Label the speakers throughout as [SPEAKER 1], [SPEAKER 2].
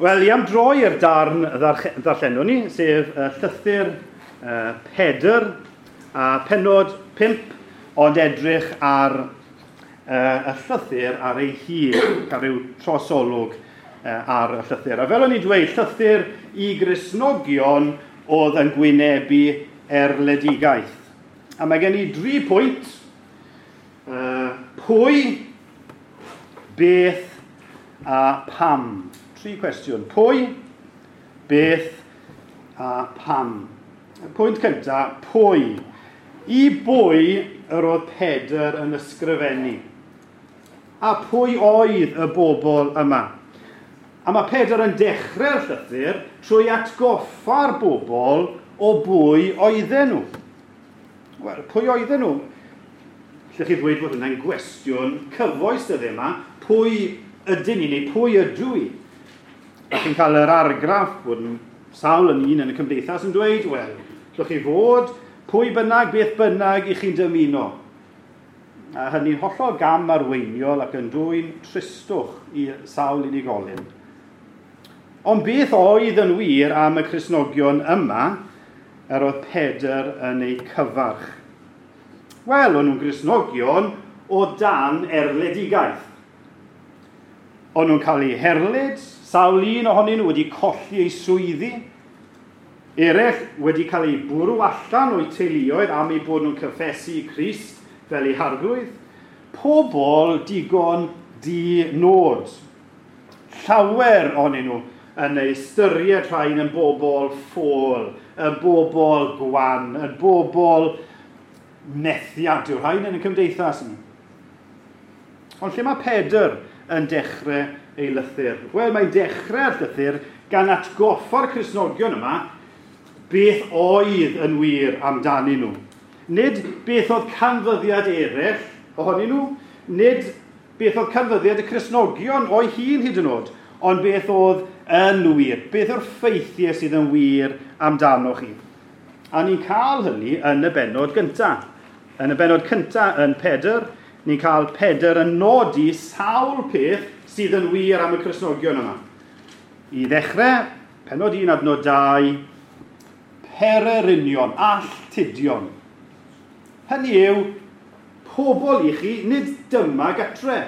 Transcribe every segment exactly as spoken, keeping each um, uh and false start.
[SPEAKER 1] Wel, i am droi'r darn ddarllenwn ni, sef uh, llythyr uh, Pedr a pennod pump, ond edrych ar uh, y llythyr ar ei hun, cael rhyw trosolwg uh, ar y llythyr. A fel o'n i'n dweud, llythyr i Gristnogion oedd yn gwynebu erledigaeth. A mae gen i dri pwynt. Uh, pwy, beth a pam. Tri cwestiwn. Pwy, beth a pam. Y pwynt cyntaf, pwy. I bwy yr oedd Pedr yn ysgrifennu? A pwy oedd y bobl yma? A mae Pedr yn dechrau'r llythyr trwy atgoffa'r bobl o bwy oedden nhw. Wel, pwy oedden nhw? Allwch chi ddweud bod hwnna'n gwestiwn cyfoes dyddiau yma. Pwy ydyn ni neu pwy ydw i? A chi'n cael yr argraff bod sawl yn un yn y cymdeithas yn dweud, wel, allwch chi fod pwy bynnag, beth bynnag i chi'n dymuno. A hynny'n hollol gam arweiniol ac yn dwyn tristwch i sawl unigolyn. Ond beth oedd yn wir am y Cristnogion yma yr oedd Pedr yn eu cyfarch? Wel, o'n nhw'n Gristnogion o dan erledigaeth. O'n nhw'n cael eu herlid, sawl un ohonyn nhw wedi colli eu swyddi, eraill wedi cael eu bwrw allan o'u teuluoedd am eu bod nhw'n cyffesu Crist fel eu harglwydd. Pobl digon di-nod. Llawer ohonyn nhw yn ei ystyried rhain yn bobl ffôl, yn bobl gwan, yn bobl methiant yw'r rhain yn y cymdeithas ni. Ond lle mae Pedr yn dechrau ei lythyr? Wel, mae'n dechrau'r llythyr gan atgoffa'r Cristnogion yma beth oedd yn wir amdanyn nhw. Nid beth oedd canfyddiad eraill ohonyn nhw, nid beth oedd canfyddiad y Cristnogion o'i hun hyd yn oed, ond beth oedd yn wir, beth yw'r ffeithiau sydd yn wir amdano chi. A ni'n cael hynny yn y bennod gyntaf. Yn y bennod cyntaf yn Pedr, ni'n cael Pedr yn nodi sawl peth sydd yn wir am y Cristnogion yma. I ddechrau, pennod un adnod dau, pererinion, alltudion. Hynny yw, pobl i chi, nid dyma gatre.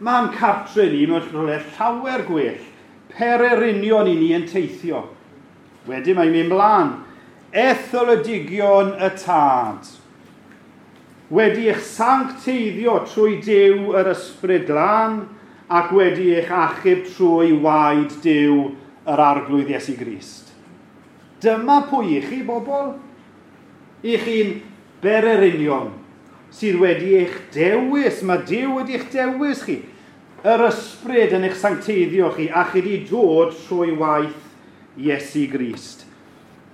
[SPEAKER 1] Mae'n cartre ni mewn rhywle llawer gwell. Pererinion i ni yn teithio. Wedyn mae'n mynd mlaen. Etholedigion y Tad. Wedi eich sancteiddio trwy Duw yr Ysbryd Glân ac wedi eich achub trwy waed Duw yr Arglwydd Iesu Grist. Dyma pwy i chi, bobl? I chi'n bererinion sydd wedi eich dewis. Mae Duw wedi eich dewis chi. Yr Ysbryd yn eich sancteiddio chi a chi wedi dod trwy waith Iesu Grist.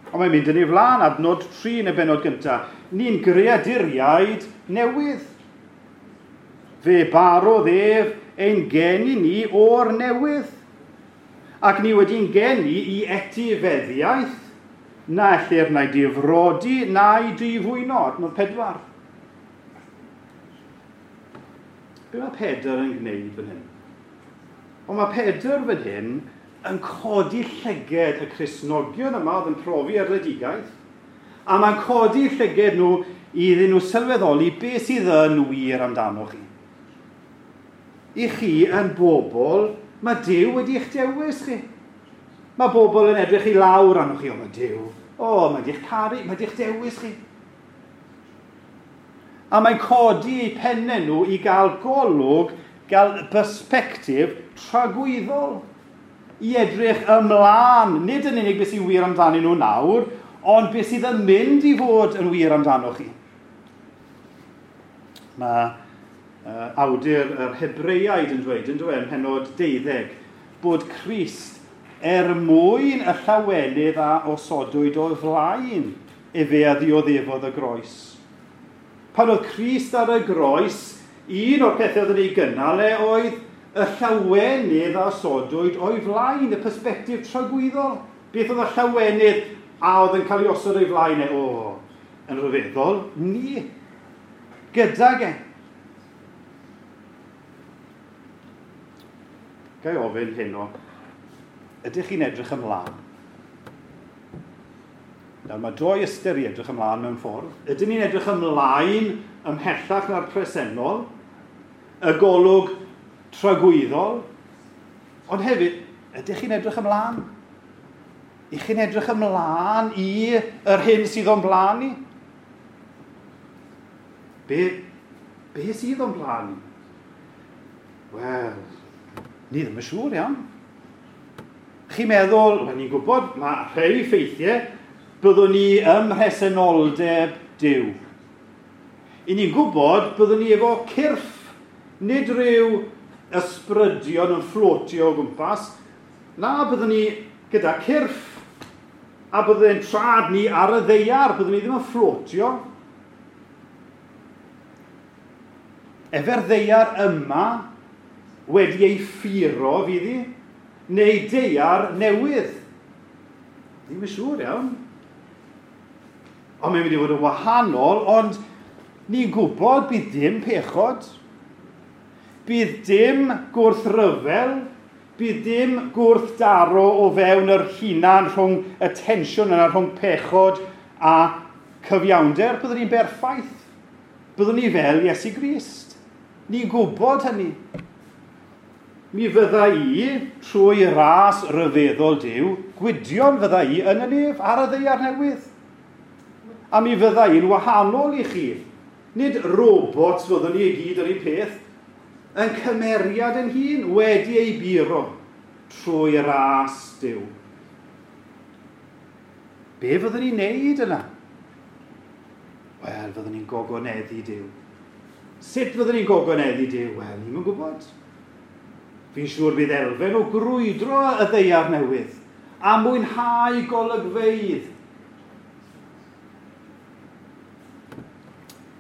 [SPEAKER 1] Ond mae'n mynd yn ei flaen, adnod tri yn y bennod gyntaf. Ni'n greaduriaid newydd. Fe barodd ef ein geni ni o'r newydd. Ac ni wedi'n geni i etifeddiaeth, na ellir na'i difrodi na'i difwyno. Adnod pedwar. Be mae Pedr yn gwneud fan hyn? Ond mae Pedr fan hyn yn codi llyged y Cristnogion yma oedd yn profi erledigaeth, a mae'n codi llyged nhw iddyn nhw sylweddoli beth sydd yn wir amdano chi. I chi yn bobl, mae Duw wedi eich dewis chi. Mae bobl yn edrych i lawr arnoch chi, o mae Duw, o mae di'ch caru, mae di'ch dewis chi. A mae'n codi eu pennau nhw i gael golwg, gael persbectif tragwyddol. I edrych ymlaen, nid yn unig beth sy'n wir amdanyn nhw nawr, ond beth sydd yn mynd i fod yn wir amdano chi. Mae uh, awdur yr Hebreaid yn dweud, yn dweud, ym mhennod deuddeg, bod Crist er mwyn y llawenydd a osodwyd o'i flaen, efe a ddioddefodd y groes. Pan oedd Crist ar y groes, un o'r pethau oedd yn ei gynnal e oedd y llawenydd a osodwyd o'i flaen, y persbectif tragwyddol. Beth oedd y llawenydd a oedd yn cael ei osod o'i flaen e? O, yn rhyfeddol, ni. Gydag e. Ga i ofyn heno, Ydych chi'n edrych ymlaen? Nawr, mae doi ystyr i edrych ymlaen mewn ffordd. Ydyn ni'n edrych ymlaen ymhellach na'r presennol, y golwg tragwyddol, ond hefyd, ydych chi'n edrych ymlaen? Ych chi'n edrych ymlaen i yr hyn sydd o'n blaen ni? Be, be sydd o'n blaen ni? Wel, ni ddim yn siŵr iawn. Chi'n meddwl, wel ni'n gwybod, mae rhai ffeithiau, byddwn ni ym mhresenoldeb Duw. I ni'n gwybod, byddwn ni efo cyrff, nid rhyw ysbrydion yn fflotio o gwmpas. Na, byddwn ni gyda cyrff, a byddwn trad ni ar y ddaear, byddwn ni ddim yn fflotio. Efo'r ddaear yma wedi ei ffuro fydd hi, neu daear newydd. Ddim yn siŵr iawn. Ond mae'n mynd i fod yn wahanol, ond ni'n gwybod bydd dim pechod, bydd dim gwrthryfel, bydd dim gwrthdaro o fewn yr hunan rhwng y tensiwn yna rhwng pechod a cyfiawnder. Byddwn ni'n berffaith. Byddwn ni fel Iesu Grist. Ni'n gwybod hynny. Mi fydda i, trwy ras ryfeddol Duw, gwydion fydda i yn y nef ar y ddaear newydd. A mi fydda i'n wahanol i chi. Nid robots fyddwn ni i gyd yr un peth, yn cymeriad yn hun wedi ei buro trwy ras Duw. Be fyddwn ni'n neud yna? Wel, fyddwn ni'n gogoneddu Duw. Sut fyddwn ni'n gogoneddu Duw? Wel, ni'm yn gwybod. Fi'n siŵr bydd elfen o grwydro y ddaear newydd a mwynhau golygfeydd.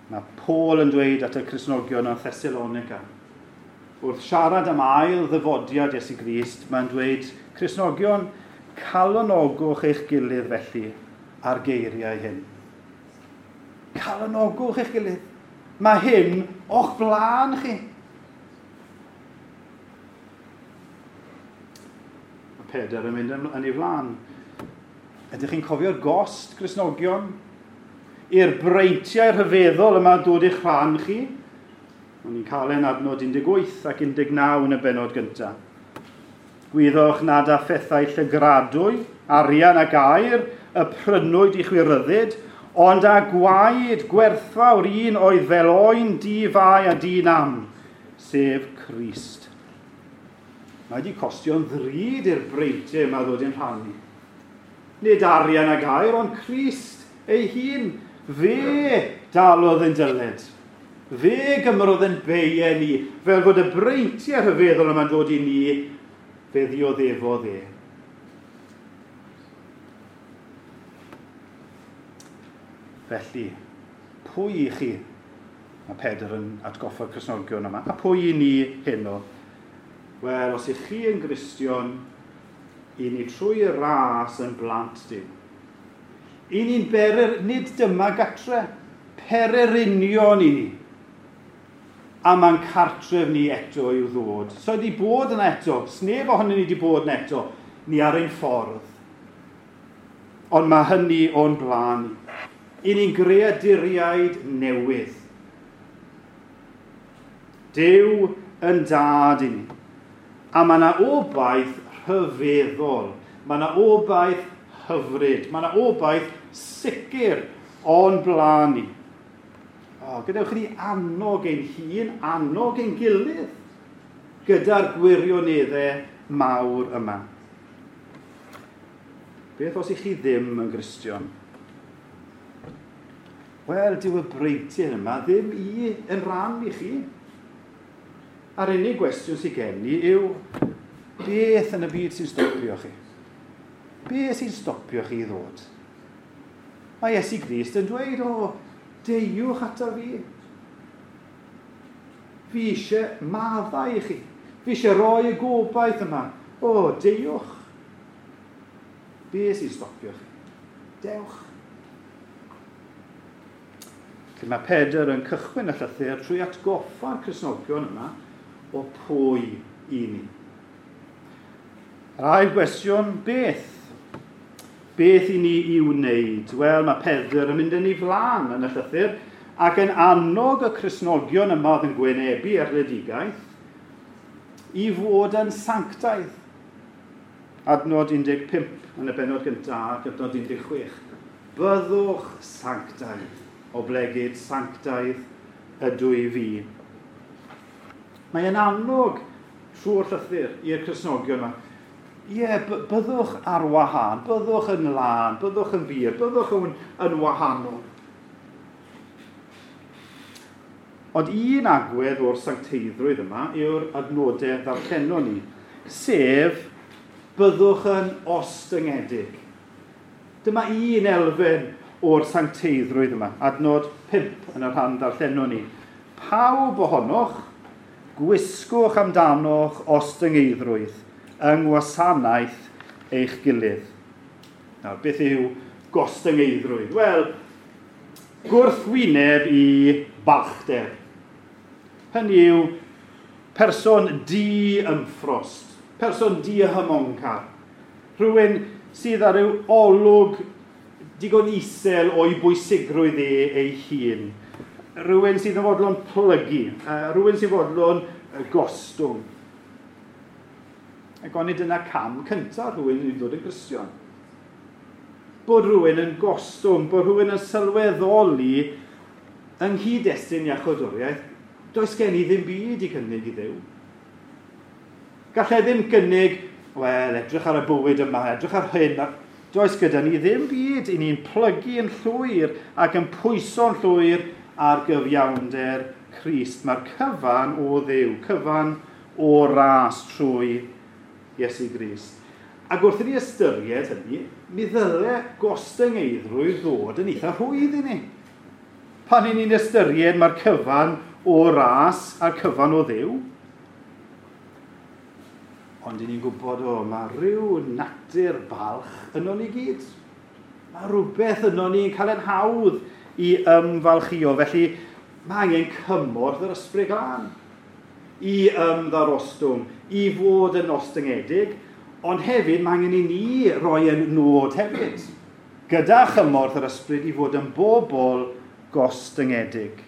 [SPEAKER 1] Mae Paul yn dweud at y Cristnogion yn Thessalonica. Wrth siarad am ail ddyfodiad Iesu Grist, mae'n dweud, Cristnogion, calonogwch eich gilydd felly ar geiriau hyn. Calonogwch eich gilydd. Mae hyn o'ch blaen chi. Mae Pedr yn mynd yn ei flaen. Ydych chi'n cofio'r gost, Cristnogion? I'r breintiau rhyfeddol yma dod i'ch rhan chi? O'n i'n cael ein adnod un deg wyth ac un deg naw yn y bennod gyntaf. Gwyddoch nad â phethau llygradwy, arian ac aur, y prynwyd i chwi ryddid, ond â gwaed gwerthfawr un oedd fel oen di-fai a di-nam, sef Crist. Mae wedi costio'n ddrud i'r breintiau yma ddod i'n rhannu. Nid arian ac aur, ond Crist ei hun. Fe dalodd yn dyled. Fe gymrodd yn beiau ni, fel fod y breintiau rhyfeddol yma'n dod i ni, fe ddioddefodd e. Felly, pwy i chi? Mae Pedr yn atgoffa'r Cristnogion yma. A pwy i ni heno? Wel, os ych chi yn Gristion, i ni trwy y ras yn blant Duw. I ni'n berer, nid dyma gatre, pererinion i ni. A mae'n cartref ni eto i'w ddod. So wedi bod yna eto, sneb ohonyn ni wedi bod yna eto, ni ar ein ffordd. Ond mae hynny o'n blaen ni. I ni'n greaduriaid newydd. Duw yn dad i ni. A mae yna obaith rhyfeddol. Mae yna obaith hyfryd. Mae yna obaith sicr o'n blaen ni. O, gadewch i ni annog ein hun, annog ein gilydd gyda'r gwirioneddau mawr yma. Beth os ych chi ddim yn Gristion? Wel, dyw y breintiau yma ddim i yn rhan i chi. A'r unig gwestiwn sydd gen i yw, beth yn y byd sy'n stopio chi? Beth sy'n stopio chi i ddod? Mae Iesu Grist yn dweud, o, deiwch ato fi. Fi eisiau maddau i chi. Fi eisiau rhoi y gobaith yma. O, deiwch. Be sy'n stopio chi? Dewch. Felly mae Pedr yn cychwyn y llythyr trwy atgoffa'r Cristnogion yma o pwy i ni. Yr ail gwestiwn, beth? Beth i ni i'w wneud? Wel, mae Pedr yn mynd yn ei flaen yn y llythyr ac yn annog y Cristnogion yma oedd yn gwynebu erledigaeth i fod yn sanctaidd. Adnod un deg pump yn y bennod gyntaf ac adnod un deg chwech. Byddwch sanctaidd, oblegid sanctaidd ydw i fi. Mae'n annog trwy'r llythyr i'r Cristnogion yma. Ie, byddwch ar wahân, byddwch yn lân, byddwch yn bur, byddwch yn, yn wahanol. Ond un agwedd o'r sancteiddrwydd yma yw'r adnodau ddarllenon ni, sef byddwch yn ostyngedig. Dyma un elfen o'r sancteiddrwydd yma, adnod pump yn y rhan ddarllenon ni. Pawb ohonoch, gwisgwch amdanoch ostyngeiddrwydd yng ngwasanaeth eich gilydd. Nawr, beth yw gostyngeiddrwydd? Wel, gwrthwyneb i balchder. Hynny yw person di-ymffrost, person di-hymoncar, rhywun sydd ar ryw olwg digon isel o'i bwysigrwydd e ei hun, rhywun sydd yn fodlon plygu, rhywun sydd yn fodlon gostwng. Ac onid dyna cam cyntaf rhywun i ddod yn Gristion. Bod rhywun yn gostwng, bod rhywun yn sylweddoli yng nghyd-destun iachawdwriaeth, does gen i ddim byd i gynnig i Dduw. Gallai ddim gynnig, wel, edrych ar y bywyd yma, edrych ar hyn, does gyda ni ddim byd, i ni'n plygu yn llwyr ac yn pwyso'n llwyr ar gyfiawnder Crist. Mae'r cyfan o Dduw, cyfan o ras trwy Iesu Grist. Ac wrth i ni ystyried hynny, mi ddyle gostyngeiddrwydd ddod yn eitha rhwydd i ni. Pan i ni'n ystyried mae'r cyfan o ras a'r cyfan o Dduw. Ond i ni'n gwybod, o, mae rhyw natur balch yno ni gyd. Mae rhywbeth yno ni'n cael yn hawdd i ymfalchio. Felly mae angen cymorth yr Ysbryd Glân i ymddarostwng, i fod yn ostyngedig, ond hefyd mae angen i ni roi yn nod hefyd, gyda chymorth yr ysbryd i fod yn bobl gostyngedig.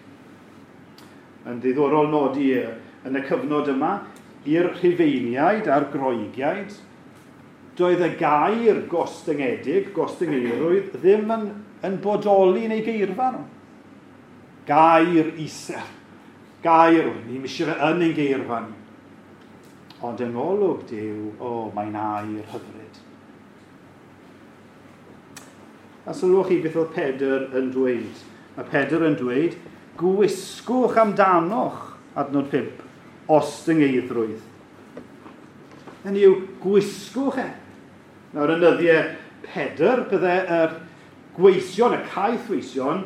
[SPEAKER 1] Yn ddiddorol nodi yn y cyfnod yma, i'r Rhufeiniaid a'r Groegiaid, doedd y gair gostyngedig, gostyngeirwydd, ddim yn, yn bodoli yn ei geirfa nhw. Gair isel. Gair, ni'n eisiau fe yn ein geirfa ni. Ond yng ngolwg Duw, o, mae'n air hyfryd. A sylwch chi beth oedd Pedr yn dweud. Mae Pedr yn dweud, gwisgwch amdanoch, adnod pump, ostyngeiddrwydd. Hynny yw, gwisgwch e. Nawr, yn nyddiau Pedr, bydde yr gweision, y caethweision,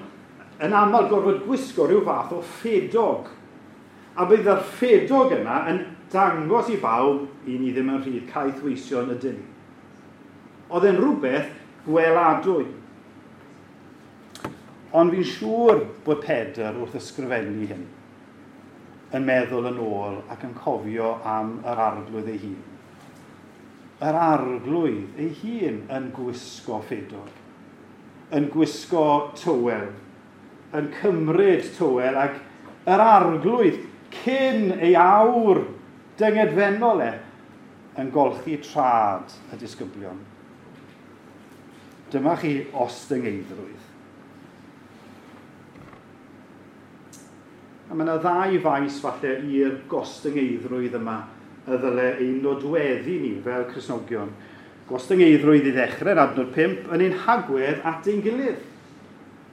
[SPEAKER 1] yn aml gorfod gwisgo rhyw fath o ffedog. A bydd yr ffedog yna yn dangos i bawb i ni ddim yn rhydd, caethweision ydyn ni. Oedd e'n rhywbeth gweladwy. Ond fi'n siŵr bod Pedr wrth ysgrifennu hyn yn meddwl yn ôl ac yn cofio am yr arglwydd ei hun. Yr arglwydd ei hun yn gwisgo ffedog, yn gwisgo tywel, yn cymryd tywel, ac yr arglwydd cyn ei awr dyngedfennol e yn golchi trad y disgyblion. Dyma chi ostyngeiddrwydd. A mae yna ddau faes falle i'r gostyngeiddrwydd yma y ddyle ein nodweddu ni fel Cristnogion. Gostyngeiddrwydd i ddechrau yn adnod pump yn ein hagwedd at ein gilydd.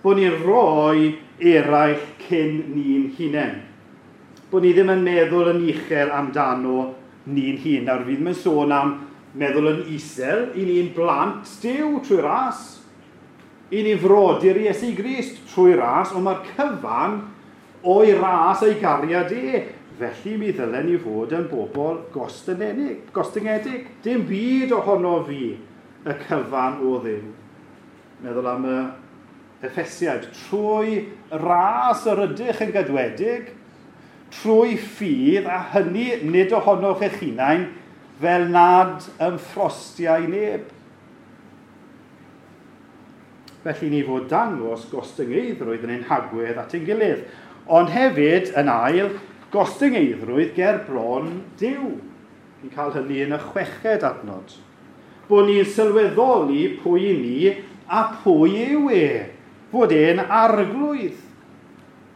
[SPEAKER 1] Bod ni'n rhoi eraill cyn ni'n hunain. Bod ni ddim yn meddwl yn uchel amdano ni'n hun. Nawr, fi ddim yn sôn am meddwl yn isel, i ni'n blant Duw trwy ras. I ni frodyr Iesu Grist trwy ras, ond mae'r cyfan o'i ras a'i gariad e. Felly mi ddylen ni fod yn bobl gostyngedig. Dim byd ohono fi y cyfan o Dduw. Meddwl am y Effesiaid. Trwy ras yr ydych yn gadwedig, trwy ffydd, a hynny nid ohonoch eich hunain, fel nad ymffrostiau neb. Felly ni fod dangos gostyngeiddrwydd yn ein hagwedd at ein gilydd. Ond hefyd, yn ail, gostyngeiddrwydd ger bron Duw. Ni'n cael hynny yn y chweched adnod. Bod ni'n sylweddoli pwy ni a pwy yw e. Fod e'n arglwydd.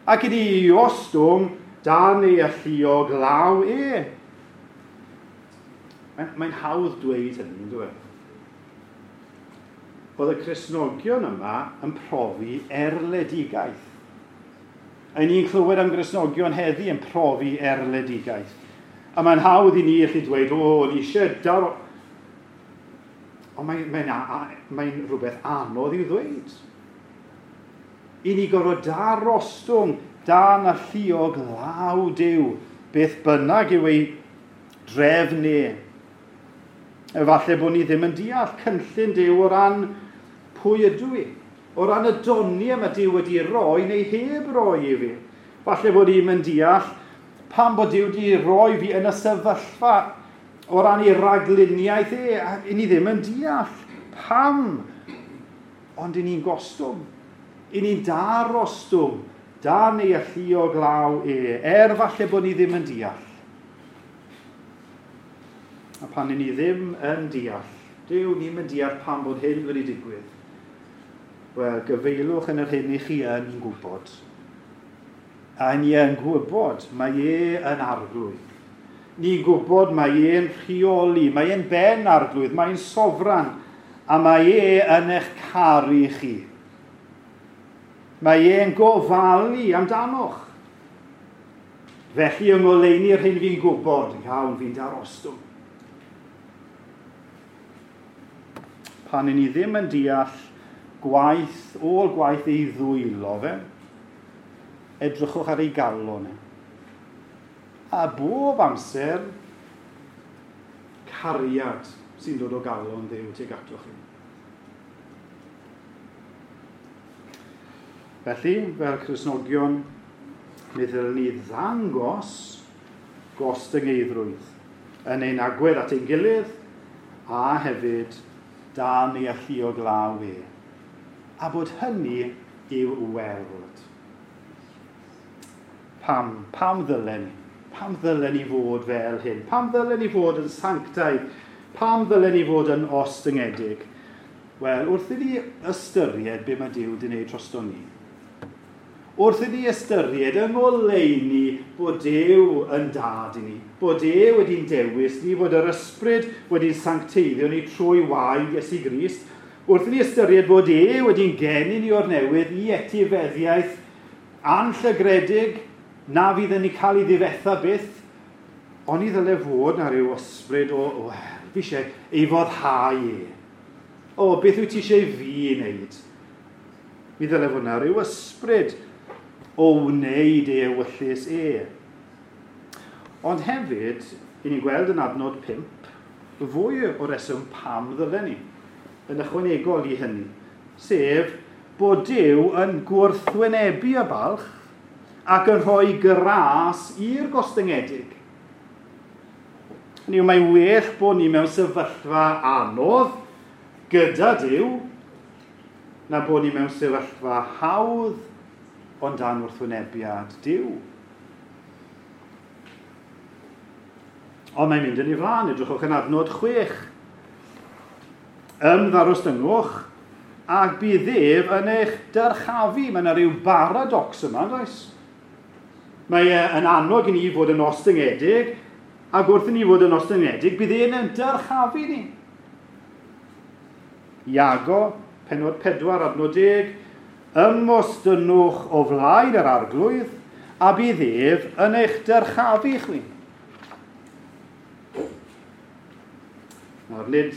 [SPEAKER 1] Ac i ni ostwng dan ei alluog law e. Mae'n, mae'n hawdd dweud hynny, yn dweud. Oedd y Cristnogion yma yn profi erledigaeth. A ni'n clywed am Gristnogion heddi yn profi erledigaeth. A mae'n hawdd i ni allu dweud, o, ni eisiau dar... Ond mae'n mae, mae rhywbeth anodd i'w ddweud. I ni gorfod darostwng dan alluog law Duw, beth bynnag yw ei drefn e. Efallai bod ni ddim yn deall cynllun Duw o ran pwy ydw i, o ran y doniau mae Duw wedi roi neu heb roi i fi. Falle bod ni'n yn deall pam bod Duw wedi roi fi yn y sefyllfa o ran ei ragluniaeth e, a i ni ddim yn deall pam. Ond i ni'n gostwng, i ni'n darostwng dan ei alluog law e, er falle bod ni ddim yn deall. A pan i ni ddim yn deall, Duw, ni'n yn deall pam bod hyn wedi digwydd. Wel, gyfeilwch yn yr hyn i chi yn gwybod. A ni yn gwybod, mae e yn arglwydd. Ni'n gwybod mae e'n rheoli, mae e'n ben arglwydd, mae'n sofran, a mae e yn eich caru chi. Mae e'n gofalu amdanoch. Felly yng ngoleuni'r hyn fi'n gwybod, iawn, fi'n darostwng. Pan i ni ddim yn deall gwaith, ôl gwaith ei ddwylo fe, edrychwch ar ei galon e. A bob amser, cariad sy'n dod o galon Dduw tuag atoch chi. Felly, fel Cristnogion, mi ddylwn ni ddangos gostyngeiddrwydd yn ein agwedd at ein gilydd a hefyd dan ei alluog law e. A bod hynny i'w weld. Pam, pam ddylen ni? Pam ddylen ni fod fel hyn? Pam ddylen ni fod yn sanctaidd? Pam ddylen ni fod yn ostyngedig? Wel, wrth i ni ystyried be mae Duw wedi gwneud drosto ni, wrth i ni ystyried yng ngoleuni bod Duw yn dad i ni, bod e wedi'n dewis ni, bod yr ysbryd wedi'n sancteiddio ni trwy waed Iesu Grist, wrth i ni ystyried bod e wedi'n geni ni o'r newydd i etifeddiaeth anllygredig na fydd yn ei cael ei ddifetha byth, ond i ddyle fod na rhyw ysbryd o, o fi eisiau ei foddhau e. O, beth wyt ti eisiau fi wneud? Mi ddyle fod na rhyw ysbryd o wneud ei ewyllys e. Ond hefyd, i ni'n gweld yn adnod pump, fwy o reswm pam ddylen ni, yn ychwanegol i hynny, sef bod Duw yn gwrthwynebu y balch ac yn rhoi gras i'r gostyngedig. Hynny yw, mae'n well bod ni mewn sefyllfa anodd gyda Duw na bod ni mewn sefyllfa hawdd ond dan wrthwynebiad Duw. Ond mae'n mynd yn ei flaen, edrychwch yn adnod chwech. Ymddarostyngwch ac bydd ef yn eich dyrchafu. Mae yna rhyw baradox yma, does? Mae e yn annog i ni fod yn ostyngedig, ac wrth i ni fod yn ostyngedig, bydd e'n yn dyrchafu ni. Iago, pennod pedwar, adnod deg, ymostynwch o flaen yr arglwydd, a bydd ef yn eich dyrchafu chwi. Nawr, nid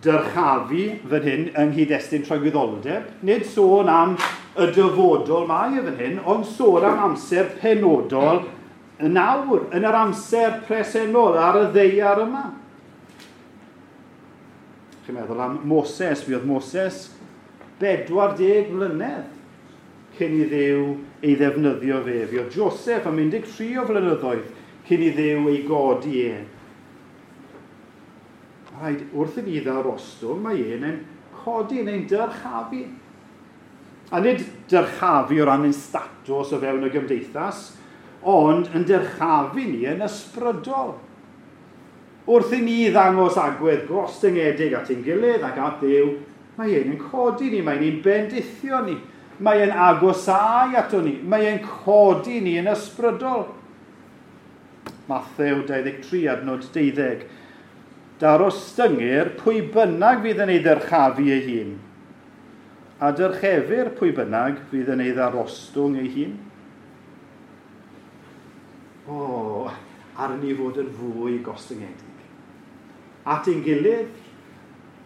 [SPEAKER 1] dyrchafu fan hyn yng nghyd-destun tragwyddoldeb, nid sôn am y dyfodol mae e fan hyn, ond sôn am amser penodol nawr, yn yr amser presennol ar y ddaear yma. Chi'n meddwl am Moses, fi oedd Moses bedwar deg mlynedd cyn i Dduw ei ddefnyddio fe. Fi oedd Joseph am un deg tri o flynyddoedd cyn i Dduw ei godi e. Rhaid wrth i ni ddarostwng, mae e'n ein codi neu'n dyrchafu. A nid dyrchafu o ran ein statws o fewn y gymdeithas, ond yn dyrchafu ni yn ysbrydol. Wrth i ni ddangos agwedd gostyngedig at ein gilydd ac at Dduw, mae e'n ein codi ni, mae'n ein bendithio ni, mae e'n agosáu ato ni, mae e'n codi ni yn ysbrydol. Mathew dau ddeg tri adnod deuddeg. Darostyngir pwy bynnag fydd yn ei ddyrchafu ei hun, a dyrchefir pwy bynnag fydd yn ei ddarostwng ei hun. O, ar ni fod yn fwy gostyngedig. At ein gilydd,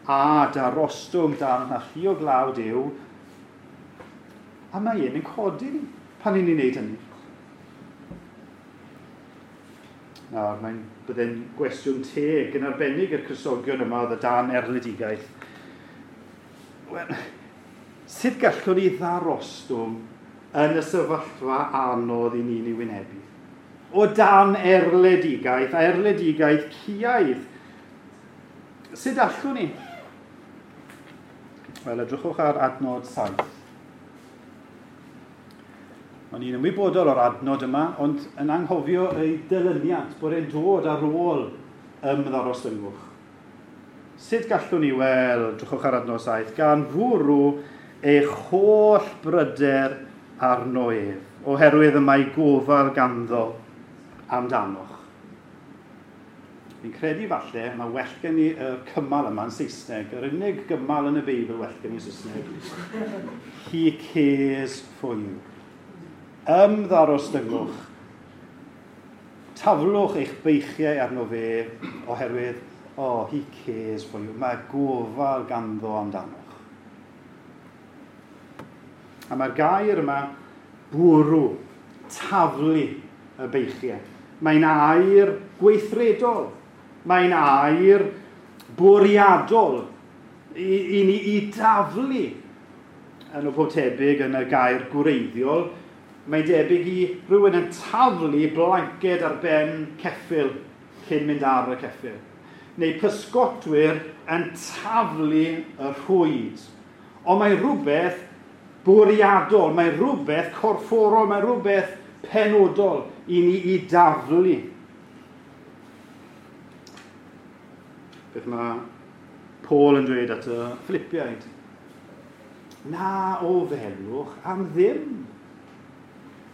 [SPEAKER 1] a darostwng dan alluog law Duw, a mae e'n ein codi ni pan ni'n ei wneud hynny. Nawr, mae'n bydde'n gwestiwn teg yn arbennig i'r Cristnogion yma oedd y dan erledigaeth. Wel, sut gallwn ni ddarostwng yn y sefyllfa anodd i ni'n ei wynebu? O dan erledigaeth, a erledigaeth ciaidd. Sut allwn ni? Wel, edrychwch ar adnod saith. O'n i'n ymwybodol o'r adnod yma, ond yn anghofio ei dilyniant, bod e'n dod ar ôl ymddarostyngwch. Sut gallwn ni weld, drychwch ar adnod saith, gan fwrw eich holl bryder arno ef, oherwydd y mae gofal ganddo amdanoch. Fi'n credu falle, mae well gen i y cymal yma yn Saesneg, yr unig gymal yn y Beibl well gen i Saesneg. He cares for you. Ymddarostyngwch. Taflwch eich beichiau arno fe oherwydd, oh, he cares for you. Mae gofal ganddo amdanoch. A mae'r gair yma, bwrw, taflu y beichiau. Mae'n air gweithredol. Mae'n air bwriadol i, i ni i daflu. Yn o pob tebyg yn y gair gwreiddiol, mae'n debyg i rhywun yn taflu blanced ar ben ceffyl cyn mynd ar y ceffyl. Neu pysgotwyr yn taflu y rhwyd. Ond mae rhywbeth bwriadol, mae rhywbeth corfforol, mae rhywbeth penodol i ni i daflu. Beth mae Paul yn dweud at y Philippiaid? Na o felwch am ddim.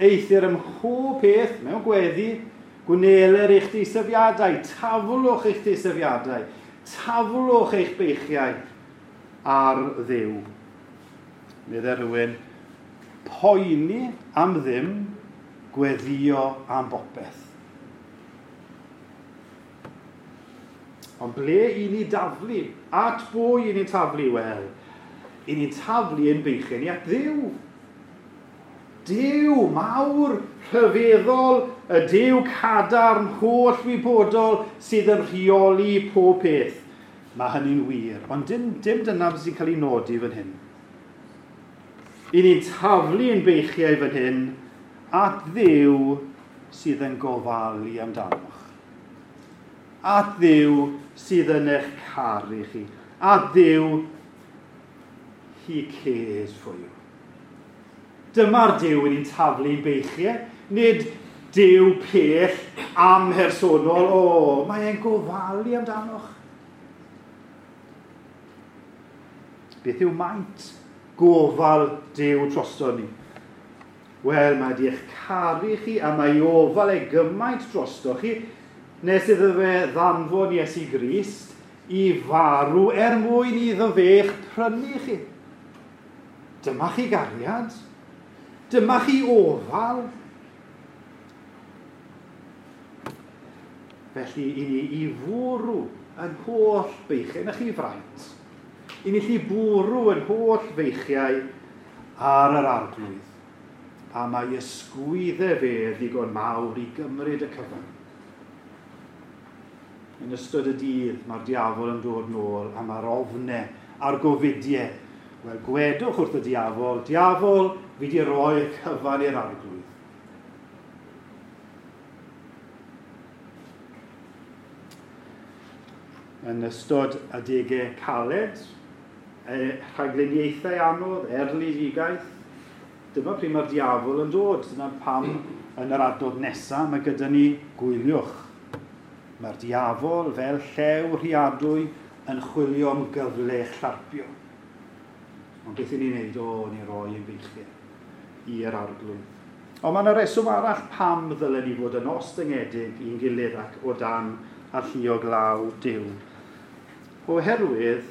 [SPEAKER 1] Eithr ym mhob peth mewn gweddi, gwneler eich deisyfiadau, taflwch eich deisyfiadau, taflwch eich beichiau ar Dduw. Meddai rhywun, poeni am ddim, gweddio am bopeth. Ond ble i ni daflu? At bwy i ni'n taflu? Wel, i ni'n taflu ein beichiau ni at Dduw. Duw mawr, rhyfeddol, y Duw cadarn, holl wybodol sydd yn rheoli pob peth. Mae hynny'n wir, ond dim, dim dyna sy'n cael ei nodi fan hyn. I ni'n taflu ein beichiau fan hyn at Dduw sydd yn gofalu amdanoch. At Dduw sydd yn eich caru chi. At Dduw, he cares for you. Dyma'r Duw i ni'n taflu'n beichiau, nid Duw pell amhersonol, o, mae e'n gofalu amdanoch. Beth yw maint gofal Duw drosto ni? Wel, mae di eich caru chi a mae ofal e gymaint drosto chi, nes iddo fe ddanfon Iesu Grist i farw er mwyn iddo fe eich prynu chi. Dyma chi gariad. Dyma chi ofal. Felly, i ni i fwrw yn holl beichiau, na chi fraint, i ni lli bwrw yn holl feichiau ar yr Arglwydd. A mae ysgwyddau fe ddigon mawr i gymryd y cyfan. Yn ystod y dydd, mae'r diafol yn dod nôl a mae'r ofnau a'r gofidiau. Wel, gwedwch wrth y diafol, diafol, fi di roi'r cyfan i'r Arglwydd. Yn ystod adegau caled, rhagluniaethau anodd, erledigaeth, dyma pryd mae'r diafol yn dod. Dyna pam yn yr adnod nesaf mae gyda ni gwyliwch. Mae'r diafol fel llew rhuadwy yn chwilio am gyfle i'ch llarpio. Ond beth i ni'n neud? O, ni roi ein beichiau i'r Arglwydd. Ond mae yna reswm arall pam ddylen ni fod yn ostyngedig i'n gilydd ac o dan alluog law Duw. Oherwydd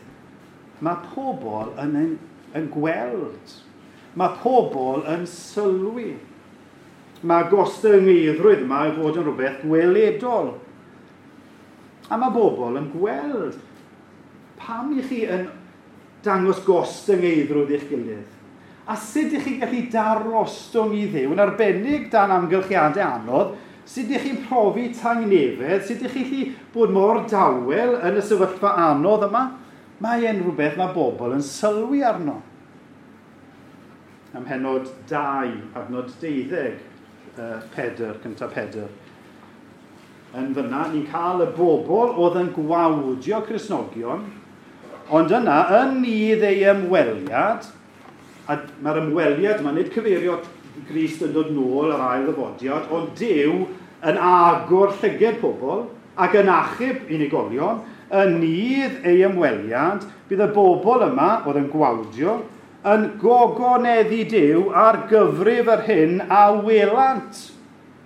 [SPEAKER 1] mae pobl yn, yn, yn gweld. Mae pobl yn sylwi. Mae gostyngeiddrwydd yma i fod yn rhywbeth gweledol. A mae bobl yn gweld pam i chi yn dangos gostyngeiddrwydd i'ch gilydd. A sut ych chi'n gallu darostwng i Dduw, yn arbennig dan amgylchiadau anodd, sut ych chi'n profi tangnefedd, sut ych chi'n gallu bod mor dawel yn y sefyllfa anodd yma, mae e'n rhywbeth mae bobl yn sylwi arno. Ym mhennod dau, adnod deuddeg, uh, Pedr, cyntaf Pedr. Yn fyna, ni'n cael y bobl oedd yn gwawdio Cristnogion, ond yna, yn nydd ei ymweliad, a mae'r ymweliad yma, nid cyfeirio Grist yn dod nôl yr ail ddyfodiad, ond Duw yn agor llyged pobl ac yn achub unigolion, yn nydd ei ymweliad, bydd y bobl yma oedd yn gwawdio, yn gogoneddu Duw ar gyfrif yr hyn a welant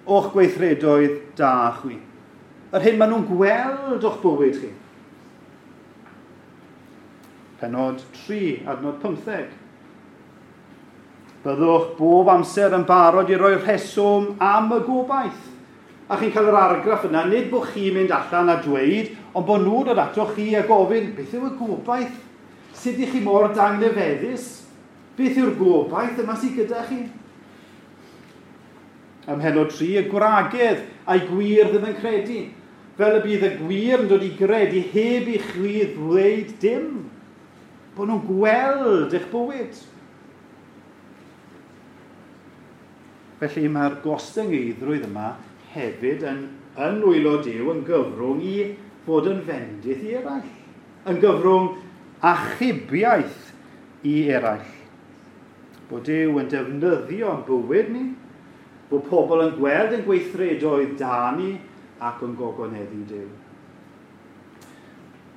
[SPEAKER 1] o'ch gweithredoedd da chwi. Yr hyn maen nhw'n gweld o'ch bywyd chi. Pennod tri, adnod pymtheg. Byddwch bob amser yn barod i roi rheswm am y gobaith. A chi'n cael yr argraff yna, nid bod chi'n mynd allan a dweud, ond bod nhw'n dod ato chi a gofyn, beth yw y gobaith? Sut ych chi mor dangnefeddus? Beth yw'r gobaith yma sydd gyda chi? Ym mhennod tri, y gwragedd a'i gwir ddim yn credu. Fel y bydd y gwir yn dod i gredu heb i chwi ddweud dim. Bod nhw'n gweld eich bywyd. Felly mae'r gostyngeiddrwydd yma hefyd yn, yn nwylo Duw yn gyfrwng i fod yn fendith i eraill. Yn gyfrwng achubiaeth i eraill. Bod Duw yn defnyddio'n bywyd ni, bod pobl yn gweld yn gweithredoedd da ni ac yn gogoneddu Duw.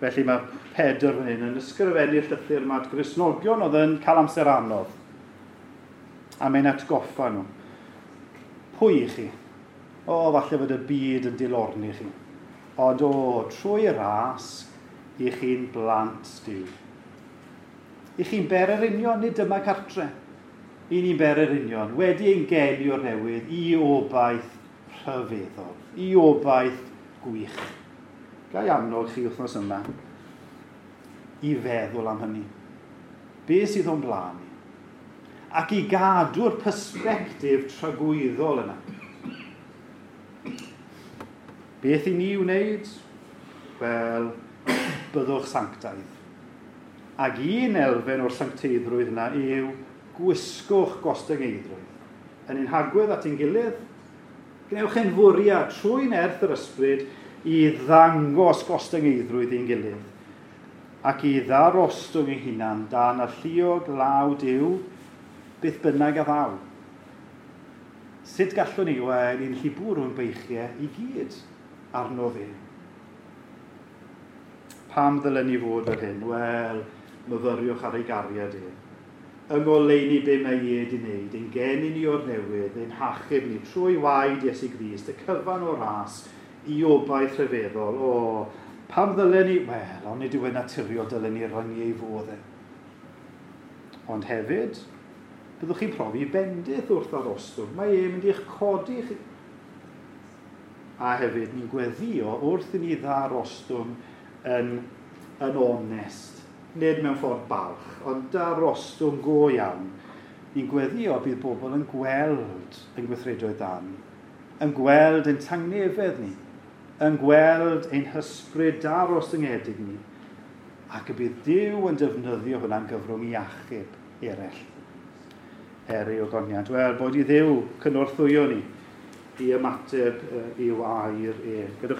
[SPEAKER 1] Felly mae Pedr fan hyn yn ysgrifennu'r llythyr yma at Gristnogion oedd yn cael amser anodd. A mae'n atgoffa nhw. Pwy i chi? O, falle fod y byd yn dilorni chi. Ond o, trwy ras, i chi'n blant Duw. I chi'n bererinion, nid dyma cartre. I ni'n bererinion, wedi ein geni o'r newydd, i obaith rhyfeddol, i obaith gwych. Ga i annog chi wythnos yma i feddwl am hynny. Be sydd o'n blaen ni? Ac i gadw'r persbectif tragwyddol yna. Beth i ni wneud? Wel, byddwch sanctaidd. Ac un elfen o'r sancteiddrwydd yna yw gwisgwch gostyngeiddrwydd. Yn ein hagwedd at ein gilydd, gwnewch ein fwriad trwy nerth yr ysbryd i ddangos gostyngeiddrwydd i'n gilydd ac i ddarostwng ei hunan dan alluog law Duw, beth bynnag a ddaw. Sut gallwn ni? Wel, ni'n gallu bwrw'n beichiau i gyd arno fe. Pam ddylen ni fod fel hyn? Wel, myfyriwch ar ei gariad e. Yng ngoleuni be mae e wedi wneud, ein geni ni o'r newydd, ein hachub ni trwy waed Iesu Grist, y cyfan o ras i obaith rhyfeddol. O, pam ddylen ni? Wel, ond nid yw e'n naturiol dylen ni ryngu ei fodd e. Ond hefyd, byddwch chi'n profi bendith wrth arostwng. Mae e'n mynd i'ch codi chi. A hefyd, ni'n gweddio wrth i ni ddarostwng yn, yn onest. Nid mewn ffordd balch, ond darostwng go iawn. Ni'n gweddio bydd bobl yn gweld yn gweithredoedd da ni, yn gweld ein tangnefedd ni, yn gweld ein hysbryd darostyngedig ni, ac y bydd Duw yn defnyddio hwnna'n gyfrwng i achub eraill. Er ei ogoniant. Wel, bod i Dduw cynorthwyo ni i ymateb i'w air e. Gadewch